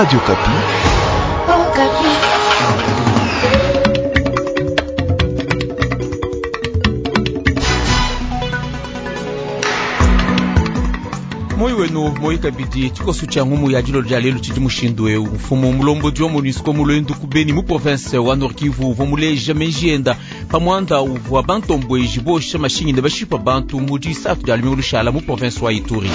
Radio Okapi. Moyi wenu moyi kabidi tshikoso tshia ngumu ya dilolo dia lelu tshidi mushindu eu. Mfumu mulombodi wa MONUSCO mu luendu ku Beni mu province wa Nord Kivu uvua muleja meji enda pa muanda uvua bantombueji bosha mashinyi ne bashipa bantu mu disatu dia lumingu lushala mu province wa Ituri.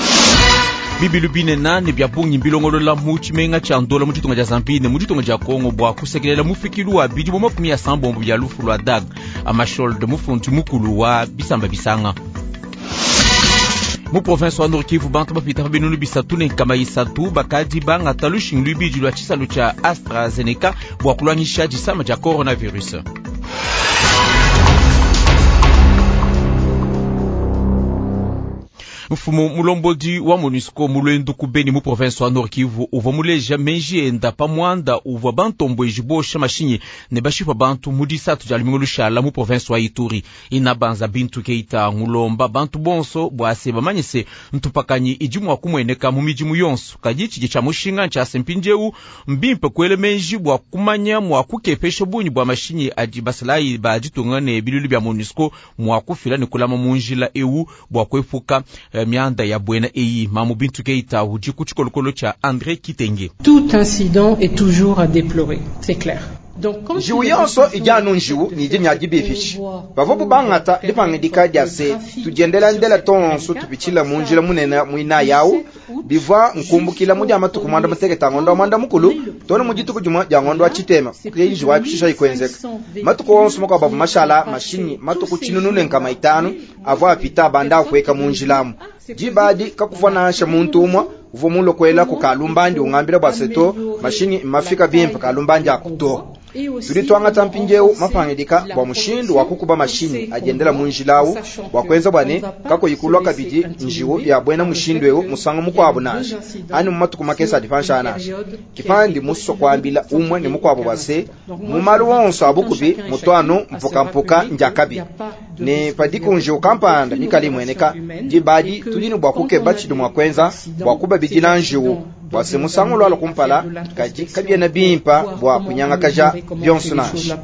Bibilu binene ne bia bungi mbilongolola mu tshimenga tshia Ndola mu ditunga dia Zambie ne mu ditunga dia Kongo bua kusekelela mufikilu wa bidimu 80 bia lufu lua Dag Hammarskjöld, mufundi mukulu wa bisamba bisanga. Mu province wa Nord Kivu bantu bapita pa binunu bisatu ne nkama isatu bakadi bangata lushingu luibidi lua tshisalu tshia AstraZeneca bua kuluangisha disama dia coronavirus. Mfumu mulombodi wa MONUSCO mu luendu ku Beni mu province wa Nord Kivu uvua muleja meji enda pa muanda uvua bantombueji bosha mashinyi ne bashipa bantu mu disatu dia lumingu lushala mu province wa Ituri. Inabanza Bintu Keita ngulomba bantu bonso bua se bamanye se ntupakanyi idi mua kumueneka mu midimu yonso, kadi tshidi tshia mushinga ntshia se mpindieu mbimpe kuela meji bua kumanya mua kukepesha bungi bua mashinyi adi basalayi ba ditunga ne bilulu bia MONUSCO mua kufila ne kulama mu njila eu bua kuepuka mianda ya buena eyi. Mamu Bintu Keita udi ku tshikolokolo tshia André Kitenge. Tout incident est toujours à déplorer, c'est clair. Njiwu yonso idi anu njiwu ne idi nya dibipisha. Bavua bangata dipangidika dia se tudiendela ndela tonso tupitshila mu njila munene muinayi awu, bivua nkumbukila mu dia matuku mwanda mutekete a ngondo wa mwanda mukulu too ne mu dituku dimue dia ngondo wa tshitema ke njiwu ayi kushisha ikuenzeka. Matuku onso makuabu avua mashala mashinyi matuku tshinunu ne nkama itanu avua apita abanda apueka mu njila amu. Diba adi kakuvua nansha muntu umue uvua mulue kuela ku kalumbandi ungambila bua se to mashinyi mmafika bimpe kalumbandi aku to. Tudi tuangata mpindieu mapangidika bua mushindu wa kukuba mashinyi adi endela mu njila au bua kuenza bua ne kakuyi kulua kabidi njiwu ya buena mushindu eu musangu mukuabu nansha anyi mu matuku makese adi panshi aa nansha. Ke pandi musue kuambila umue ne mukuabu bua se, mu malu onso a bukubi mutu anu mpukampuka ndiakabi, ne padiku njiwu kampanda mikale imueneka, diba adi tudi ne bua kukeba tshidi mua kuenza bua kubabidila njiwu bua se musangu ulualua kumpala, kadi kabiena bimpe bua kunyangakaja bionso nansha.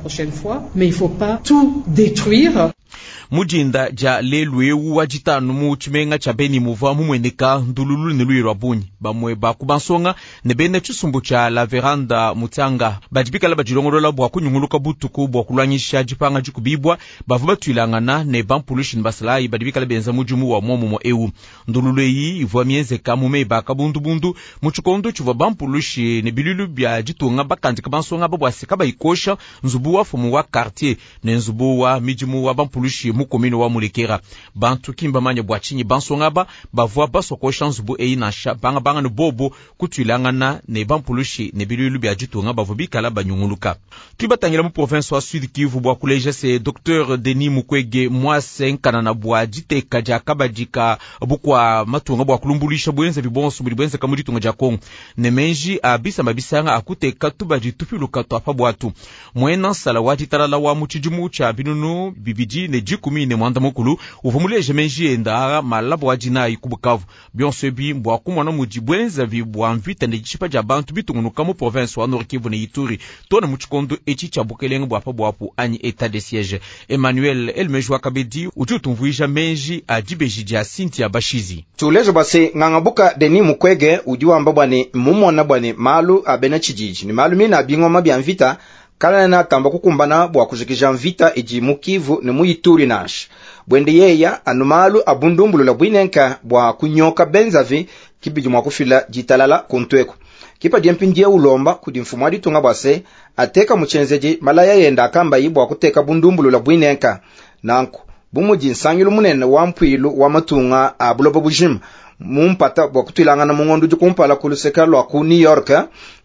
Mu dinda dia lelu eu wa ditanu mu tshimenga tshia Beni muvua mumueneka ndululu ne luya lua bungi. Bamue ba ku bansonga ne bena tshisumbu tshia La Veranda Mutanga badi bikala badilongolola bua kunyunguluka butuku bua kuluangisha dipanga dikubibua, bavua batuilangana ne bampulushi ne basalayi badi bikala benza mudimu wa muomumue eu. Ndululu eyi ivua mienzeka mu meba a kabundubundu mu tshikondo tshivua bampulushi ne biluilu bia ditunga bakandika bansonga aba bua se kabayi kosha nzubu wa mfumu wa quartier ne nzubu wa midimu wa bampulushi mu commune wa Mulekera. Bantu ki mbamanye bua tshinyi bansonga aba bavua basua kosha nzubu eyi nansha bangabanga ne bobo kutuilangana ne bampulushi ne biluilu bia ditunga bavua bikala banyunguluka. Tudi batangila mu province wa Sud Kivu bua kuleja se Docteur Denis Mukwege muase nkanana bua diteka dia kabadi ka bukua matunga bua kulumbuluisha buenzavi buonso budi buenzeka mu ditunga dia Kongo ne menji a bisamba bisanga a kuteka tubadi tupiluka tua pa buatu. Muena nsala wa ditalala wa mu tshidimu tshia binunu bibidi ne dikumi ne muanda mukulu uvua muleje menji enda aa malaba wa dinayi ku Bukavu. Bionso ebi mbua kumona mudi buenzavi bua mvita ne dishipa dia bantu bitungunuka mu province wa Nord Kivu ne Ituri too ne mu tshikondo etshi tshia bukelenge bua pa buapu anyi etat de siège. Emmanuel Elmeji wa kabidi udi utumvuija menji a dibeji dia Cynthia Bashizi. Tuleja bua se ngangabuka Denis Mukwege udi wamba bua ne mmumona bua ne malu a bena tshididi ne malu mine a bingoma bia mvita kaena atamba kukumbana bua kujikija mvita idi mu Kivu ne mu Ituri nansha. Buende yeya anu malu a bundumbulula buinenka bua kunyoka benzavi kibidi mua kufila ditalala kuntu eku. Kipa dia mpindieu ulomba kudi mfumu wa ditunga bua se ateka mu tshienzedi malaya yenda akambayi bua kuteka bundumbulula buinenka. Nanku bu mudi nsangilu munene wa mpuilu wa matunga a buloba bujima mu mpata bua kutuilangana mu ngondo udi kumpala ku luseke lua ku New York,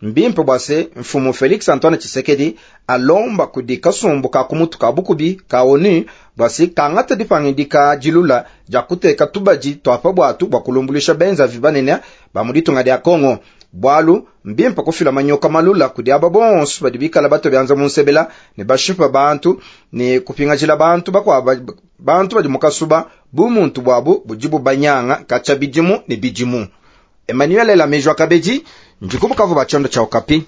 mbimpe bua se mfumu Felix Antoine Tshisekedi alomba kudi kasumbu ka kumutu ka bukubi ka ONU bua se kangata dipangidika dilula dia kuteka tubadi tua pa buatu bua kulumbuluisha benzavi banene ba mu ditunga dia Congo. Bualu mbimpe kufila manyoka malula kudi aba bonso badi bikala bato bianza mu nsebela ne bashipa bantu ne kupingajila bantu bakuaba bantu badi mu kasuba bu muntu buabu budi bubanyanga katshia bidimu ne bidimu. Emmanuel Elamejo Kabedi, Ndi ku Bukavu ba tshiondo tshia Okapi.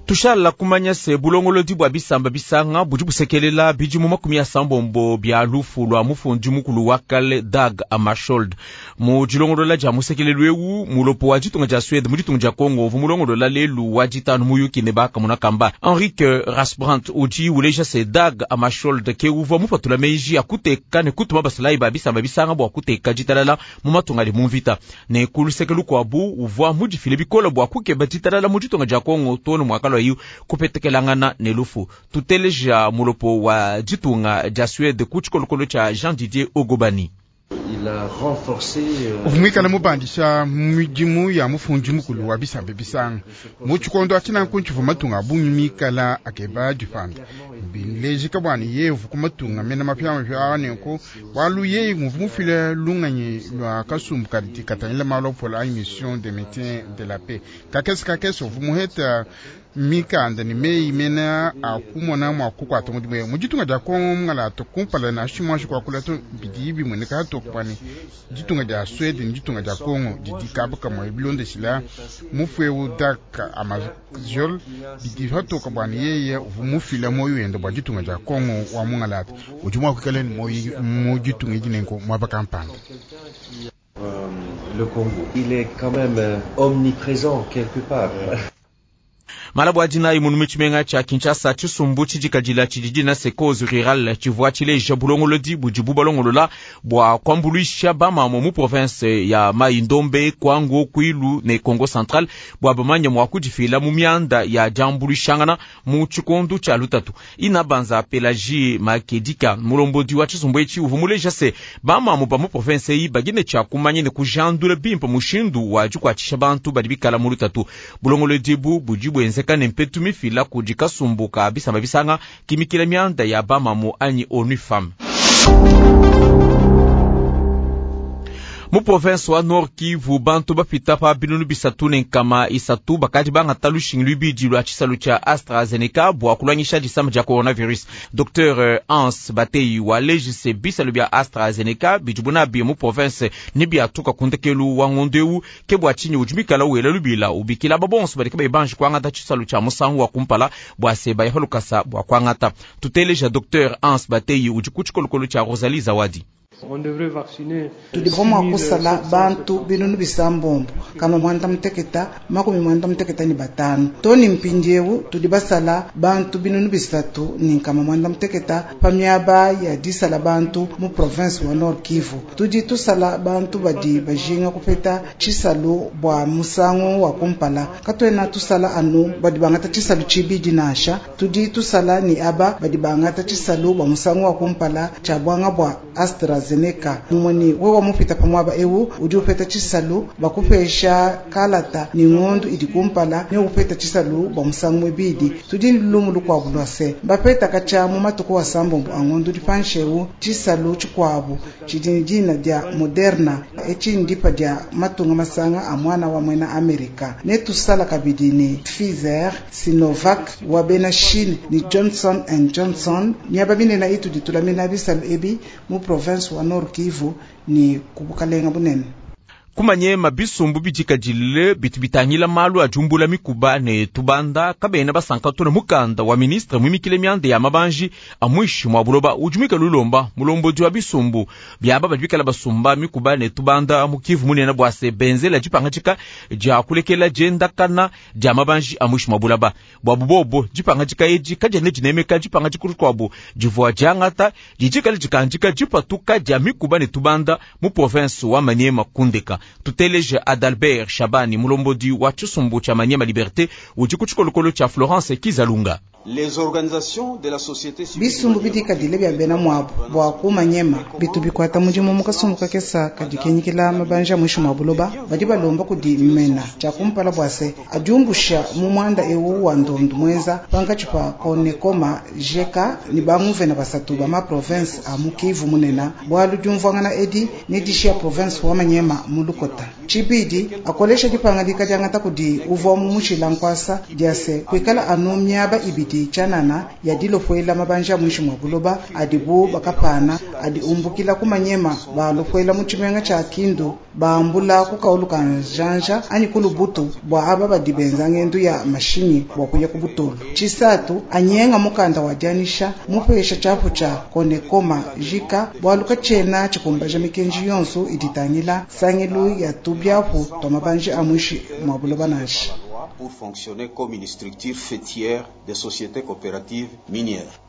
Tushala kumanya se bulongolodi bua bisamba bisanga budi busekelela bidimu 80 bia lufu lua mufundi mukulu wa kale Dag Hammarskjöld. Mu dilongolola dia musekelelu eu, mulopo wa ditunga dia Suede mu ditunga dia Congo uvua mulongolola lelu wa ditanu muyuki ne bakamona kamba. Henrik Rasbrandt udi uleja se Dag Hammarskjöld ke uvua mupatula meji a kuteka ne kutuma basalayi ba bisamba bisanga bua kuteka ditalala mu matunga adi mu mvita. Ne ku luseke lukuabu uvua mudifile bikole bua kukeba ditalala mu ditunga dia Congo too ne muakalua kupetekelangana ne lufu. Tuteleja mulopo wa ditunga dia Suede ku tshikolokolo tshia Jean Didier Ogobani. Uvua muikale mubandisha midimu ya mufundi mukulu wa bisamba bisanga mu tshikondo atshi. Nanku ntshivua matunga a bungi mikala akeba dipanda bilejika bua ne yeye uvua ku matunga mena mapiamapia aa. Nenku bualu yeye uvua mufile lungenyi lua kasumbu kadi katangila malu a bupole anyi mission de maintien de la paix. Kakese kakese uvua muheta mikanda ne meyi mena a kumona mua kukuata mudimu eu mu ditunga dia Kongo mungalata kumpala nansha muanji kuakula to. Bidi bimueneka hatoke bua ne ditunga dia Suede ne ditunga dia Kongo didi kaba kamue bilondeshila mufu eu Dag Hammarskjöld. Bidi hatoke bua ne yeye uvua mufila muoyo wende bua ditunga dia Kongo wa mungalata udi mua kuikala ne muoyo mu ditunga edi nenku muaba kampanda. Le Congo, il est quand même omniprésent quelque part. Malabu adinayi munu mu tshimenga tshia Kinshasa, tshisumbu tshidikadila tshidi dina se Cause Rurale tshivua tshileja bulongolodi budibu balongolola bua kuambuluisha bamamue mu province ya Mai Ndombe, Kwango, Kwilu ne Kongo Central bua bamanye mua kudifila mu mianda ya diambuluishangana mu tshikondo tshia lutatu. Ina Banza Pelagie Makedika, mulombodi wa tshisumbu etshi, uvua muleja se bamamue ba mu province eyi badi ne tshia kumanya ne kujandula bimpe mushindu wa dikuatshisha bantu badi bikala mu lutatu. Bulongolodi ebu budi buenzeka ne mpetu mifila kudi kasumbu ka bisamba bisanga kimikila mianda ya bamamu anyi ONU Femmes. Mu province wa Nord Kivu, bantu bapita pa 330 bakadi bangata lushingi luibidi lua tshisalu tshia AstraZeneca bua kulwangisha disama dia coronavirus. Dr Hans Batei waleji se bisalu bia AstraZeneca bidibu nabi mu province ne biatuka ku ndekelu wa ngondo eu. Ke bua tshinyi udi muikala wela lubila ubikila aba bonso badi kabayi banji kuangata tshisalu tshia musangu wa kumpala bua se baya pa lukasa bua kuangata. Tuteleja Dr Hans Batei udi ku tshikolokolo tshia Rosalie Zawadi. Tudi mua kusala bantu 6695 too ne mpindieu tudi basala bantu 3600 pa miaba ya disala bantu mu province wa Nord Kivu. Tudi tusala bantu badi bajinga kupeta tshisalu bua musangu wa kumpala. Katuena tusala anu badi bangata tshisalu tshibidi nansha, tudi tusala ne aba badi bangata tshisalu bua musangu wa kumpala tshia buanga bua AstraZeneca. Mumue ne wewe mupita pa muaba eu udi upeta tshisalu bakupesha kalata ne ngondu idi kumpala ne upeta tshisalu bua musangu muibidi. Tudi ne lumu lukuabu lua se bapeta katshia mu matuku a sambombo a ngondu dipanshi eu tshisalu tshikuabu tshidi ne dina dia Moderna, etshi ndipa dia matunga masanga a mwana wa mwena Amerika. Ne tusala kabidi ne Pfizer, Sinovac wa bena Chine ne Johnson and Johnson. Miaba minene itudi tulamina bisalu ebi mu province wa Nord Kivu ne ku bukalenga bunene. Kumanyema bisumbu bidikadile bitu bitangila malu a diumbula mikuba ne tubanda kabena basanka to ne mukanda wa ministre muimikile mianda ya mabanji a muinshi mua buloba udi muikale ulomba mulombodi wa bisumbu biaba badi bikala basumba mikuba ne tubanda mu Kivu munene bua se benzela dipangadika dia kulekela diendakana dia mabanji a muinshi mua bulaba. Bua bubobo dipangadika edi kadiena dinemeka dipangadika dikuabu divua diangata didi dikandika dipatuka dia mikuba ne tubanda mu province wa Maniema Kundeka. Tuteleje Adalbert Shabani, mulombodi wa tshisumbu tshia Maniema Liberté, udi ku tshikolokolo tshia Florence Kizalunga. Les organisations de la société civile Bisumbu bidikadile bia bena muabu bua ku Maniema bitu bikuata mudimu mu kasumbu kakesa kadi kenyikila mabanja a muinshi mua buloba badi balomba kudi mmena tshia kumpala bua se adiumbusha mu muanda eu wa ndondu muenza pankatshi pa Konekoma GK ne banguvena basatu ba ma province a mu Kivu munene, bualu diumvuangana edi ne dishiya province wa Maniema mu lukota. Tshibidi, akolesha dipangadika diangata kudi uvwa mumushila nkuasa dia se kuikala anu miaba ibidi tshianana ya dilopwela mabanji a muinshi mwa buloba adibu bakapana adi umbukila ku Maniema balopwela mu tshimenga tshia Kindu bambula ku kaulu ka njanja anyi ku Lubutu bwa aba badi benza ngendu ya mashinyi bwa kuya ku Butolu. Tshisatu, anyenga mukanda wa dianyisha mupesha tshiapu tshia Konekoma jika bwalu katshiena tshikumbaja mikenji yonso idi itangila sangilu ya tubiapu twa mabanji a muinshi mwa buloba nansha. Pour fonctionner comme une structure faîtière des sociétés coopératives minières.